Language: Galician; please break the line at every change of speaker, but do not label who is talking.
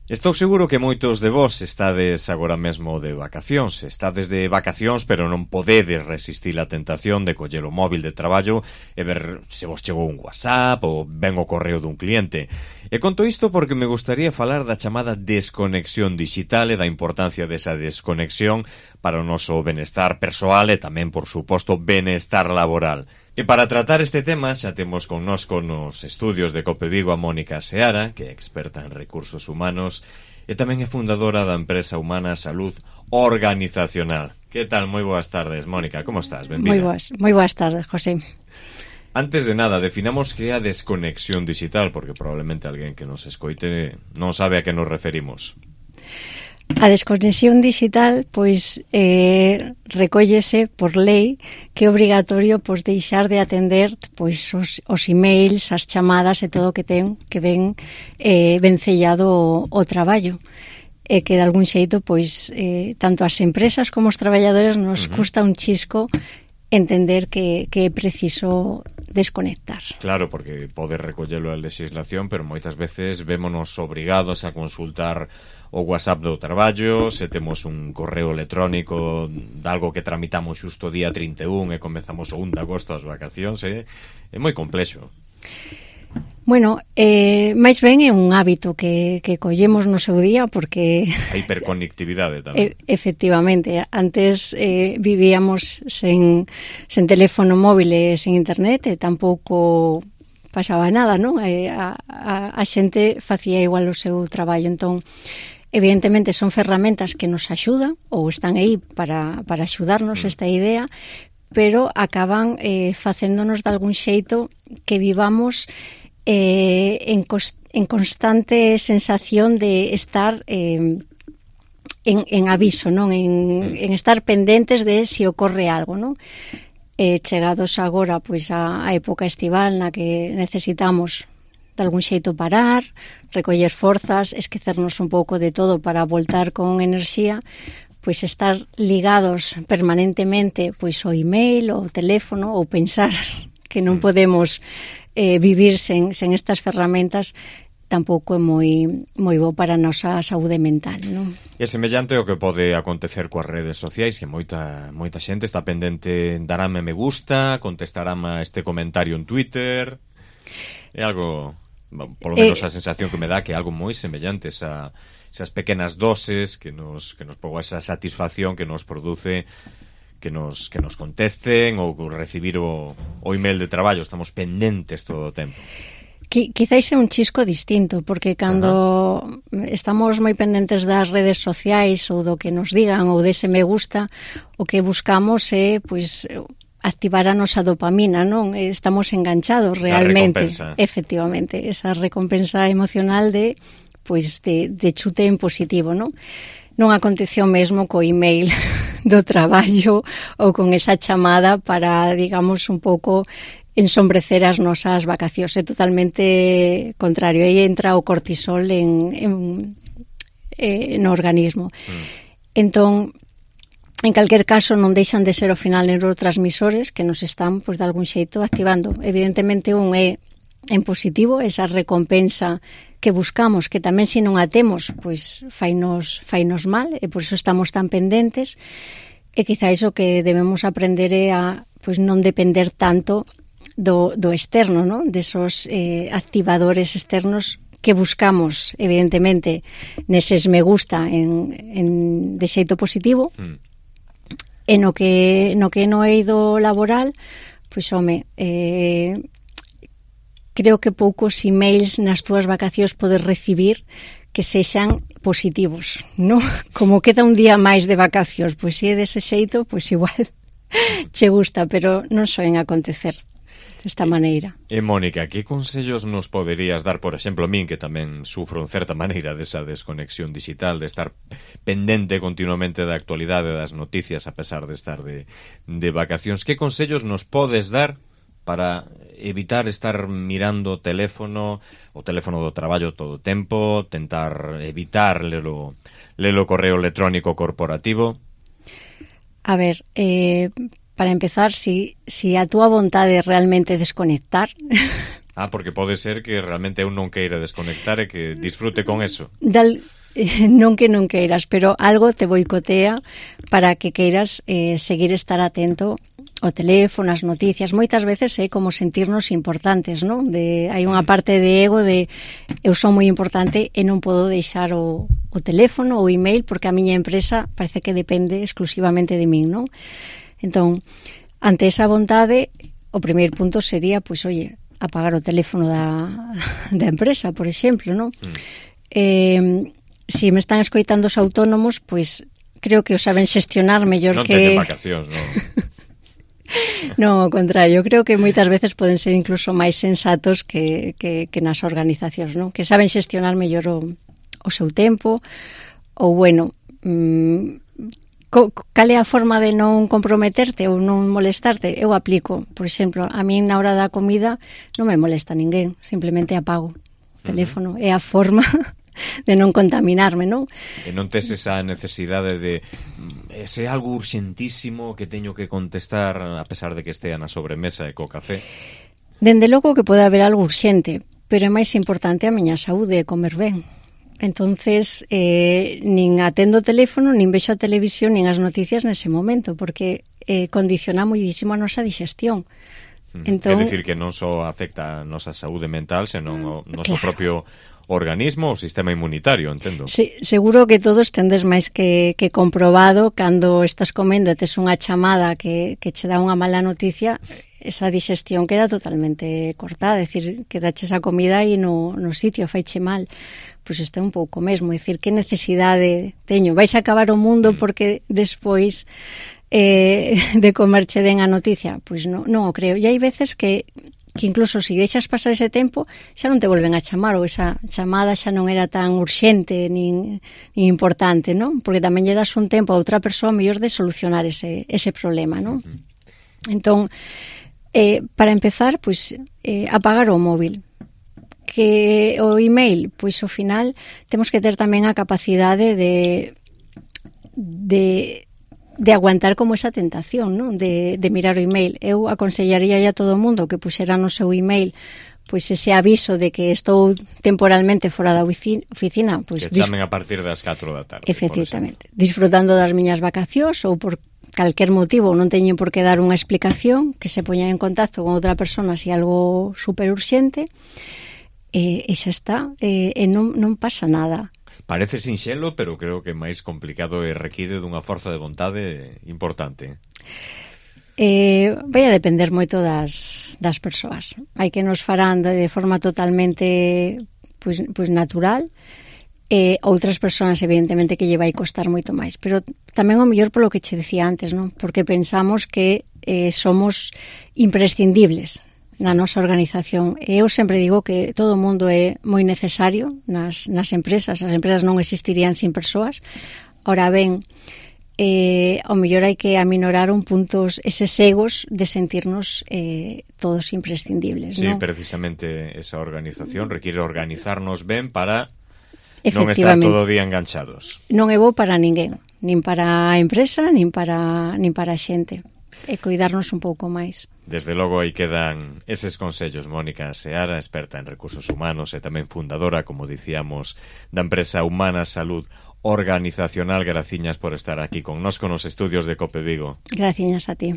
Estou seguro que moitos de vos estades agora mesmo de vacacións. Estades de vacacións, pero non podedes resistir a tentación de coller o móvil de traballo e ver se vos chegou un WhatsApp ou ben o correo dun cliente. E conto isto porque me gustaría falar da chamada desconexión digital e da importancia desa desconexión para o noso benestar persoal e tamén, por suposto, benestar laboral. E para tratar este tema xa temos connosco nos estudios de Cope Vigo a Mónica Seara, que é experta en recursos humanos e tamén é fundadora da empresa humana Salud Organizacional. Que tal? Moi boas tardes, Mónica, como estás? Benvida.
Moi boas tardes, José.
Antes de nada, definamos que é a desconexión digital, porque probablemente alguén que nos escoite non sabe a que nos referimos.
A desconexión digital, pois, recóllese por lei que é obrigatorio pois deixar de atender pois os emails, as chamadas e todo o que ten que ven vencellado o traballo. E que de algún xeito, pois, tanto as empresas como os traballadores nos custa un chisco entender que é preciso desconectar.
Claro, porque pode recollelo a legislación, pero moitas veces vémonos obrigados a consultar o WhatsApp do traballo, se temos un correo electrónico de algo que tramitamos xusto o día 31 e comezamos o 1 de agosto as vacacións, é moi complexo.
Bueno, máis ben é un hábito que collemos no seu día porque...
A hiperconectividade tamén.
Efectivamente, antes vivíamos sen teléfono móvil e sen internet e tampouco pasaba nada, non? A xente facía igual o seu traballo, entón evidentemente son ferramentas que nos axudan ou están aí para axudarnos esta idea, pero acaban facéndonos de algún xeito que vivamos en constante sensación de estar en aviso, non? En estar pendentes de se ocorre algo, non? Chegados agora pois a época estival na que necesitamos de algún xeito parar, recoller forzas, esquecernos un pouco de todo para voltar con enerxía, pois estar ligados permanentemente pois ao email, ao teléfono, ou pensar que non podemos vivir sen estas ferramentas tampouco é moi bo para a nosa saúde mental, non?
É semellante ao que pode acontecer coas redes sociais, que moita xente está pendente, darame me gusta, contestarame a este comentario en Twitter. É algo, polo menos a sensación que me dá que é algo moi semellante esas pequenas doses que nos ponga esa satisfacción que nos produce que nos contesten ou recibir o email de traballo. Estamos pendentes todo o tempo.
Quizáis é un chisco distinto, porque cando estamos moi pendentes das redes sociais ou do que nos digan ou dese me gusta, o que buscamos é pois activar a nosa dopamina, non? Estamos enganchados realmente.
Esa recompensa.
Efectivamente, esa recompensa emocional de chute en positivo, non? Non aconteceu mesmo co email do traballo ou con esa chamada para, digamos, un pouco ensombrecer as nosas vacacións. É totalmente contrario. Aí entra o cortisol no organismo. Entón, en calquer caso, non deixan de ser ao final neurotransmisores que nos están, pois, de algún xeito activando. Evidentemente, un é en positivo, esa recompensa que buscamos, que tamén se non a temos, pois fainos mal, e por iso estamos tan pendentes, e quizáis o que debemos aprender é a pois non depender tanto do externo, non? Desos activadores externos que buscamos, evidentemente, neses me gusta de xeito positivo, e no que no eido laboral, pois, home, creo que poucos emails nas túas vacacións podes recibir que sexan positivos, non? Como queda un día máis de vacacións, pois se é dese xeito, pois igual che gusta, pero non soen acontecer desta maneira.
E Mónica, que consellos nos poderías dar, por exemplo, a min que tamén sufro en certa maneira desa desconexión digital, de estar pendente continuamente da actualidade das noticias a pesar de estar de vacacións? Que consellos nos podes dar para evitar estar mirando o teléfono do traballo todo o tempo, tentar evitar lelo correo electrónico corporativo?
A ver, para empezar, si a túa vontade é realmente desconectar...
Porque pode ser que realmente eu non queira desconectar e que disfrute con eso.
non que non queiras, pero algo te boicotea para que queiras seguir estar atento o teléfono, as noticias. Moitas veces é como sentirnos importantes, non? Hai unha parte de ego de eu son moi importante e non podo deixar o teléfono ou email porque a miña empresa parece que depende exclusivamente de min, non? Entón, ante esa vontade, o primeiro punto sería, pois, oye, apagar o teléfono da empresa, por exemplo, non? Si me están escoitando os autónomos, pois creo que o saben xestionar mellor que...
Non teñen vacacións, non?
Non, ao contrario, creo que moitas veces poden ser incluso máis sensatos que nas organizacións, non? Que saben xestionar mellor o seu tempo, ou, bueno, cal é a forma de non comprometerte ou non molestarte? Eu aplico, por exemplo, a min na hora da comida non me molesta ninguén, simplemente apago o teléfono, é a forma de non contaminarme, non?
E non tes esa necesidade de se é algo urxentísimo que teño que contestar a pesar de que estea na sobremesa e co café?
Dende logo que pode haber algo urxente, pero é máis importante a miña saúde e comer ben. Entonces, nin atendo o teléfono, nin vexo a televisión, nin as noticias nese momento, porque condiciona moitísimo a nosa digestión.
Entón, é dicir que non só afecta a nosa saúde mental, senón o noso propio organismo, o sistema inmunitario, entendo.
Sí, seguro que todos tendes máis que comprobado cando estás comendo e tes unha chamada que che dá unha mala noticia, esa digestión queda totalmente cortada, é dicir, quedaches a comida aí no sitio, faiche mal. Pois isto é un pouco mesmo, é dicir, que necesidade teño? Vais a acabar o mundo porque despois de comerche den a noticia? Pois non o creo. E hai veces que incluso se deixas pasar ese tempo xa non te volven a chamar, ou esa chamada xa non era tan urxente nin importante, non? Porque tamén lle das un tempo a outra persoa mellor de solucionar ese problema, non? Entón, para empezar, pois, apagar o móvil. Que o email, pois ao final temos que ter tamén a capacidade de aguantar como esa tentación, non? De mirar o email. Eu aconsellaría a todo o mundo que puxera no seu email pois ese aviso de que estou temporalmente fora da oficina, pois
que chamen a partir das 4 da tarde.
Efectivamente, disfrutando das miñas vacacións ou por calquer motivo, non teñen por que dar unha explicación, que se poñan en contacto con outra persona se algo super urxente, e xa está, e non pasa nada.
Parece sinxelo, pero creo que é máis complicado e require dunha forza de vontade importante.
Vai a depender moito das persoas. Hai que nos farán de forma totalmente pois natural, e outras persoas evidentemente que lle vai costar moito máis, pero tamén o mellor polo que che decía antes, non? Porque pensamos que somos imprescindibles na nosa organización. E eu sempre digo que todo o mundo é moi necesario nas empresas. As empresas non existirían sin persoas. Ora ben, ao mellor hai que aminorar un puntos eses egos de sentirnos todos imprescindibles,
sí,
non?
Precisamente esa organización require organizarnos ben para non estar todo o día enganchados.
Non é bo para ninguén, nin para a empresa, nin para a xente. E cuidarnos un pouco máis.
Desde logo aí quedan eses consellos. Mónica Seara, experta en recursos humanos e tamén fundadora, como dicíamos, da empresa Humana Salud Organizacional. Graciñas por estar aquí connosco nos estudios de COPE Vigo.
Graciñas a ti.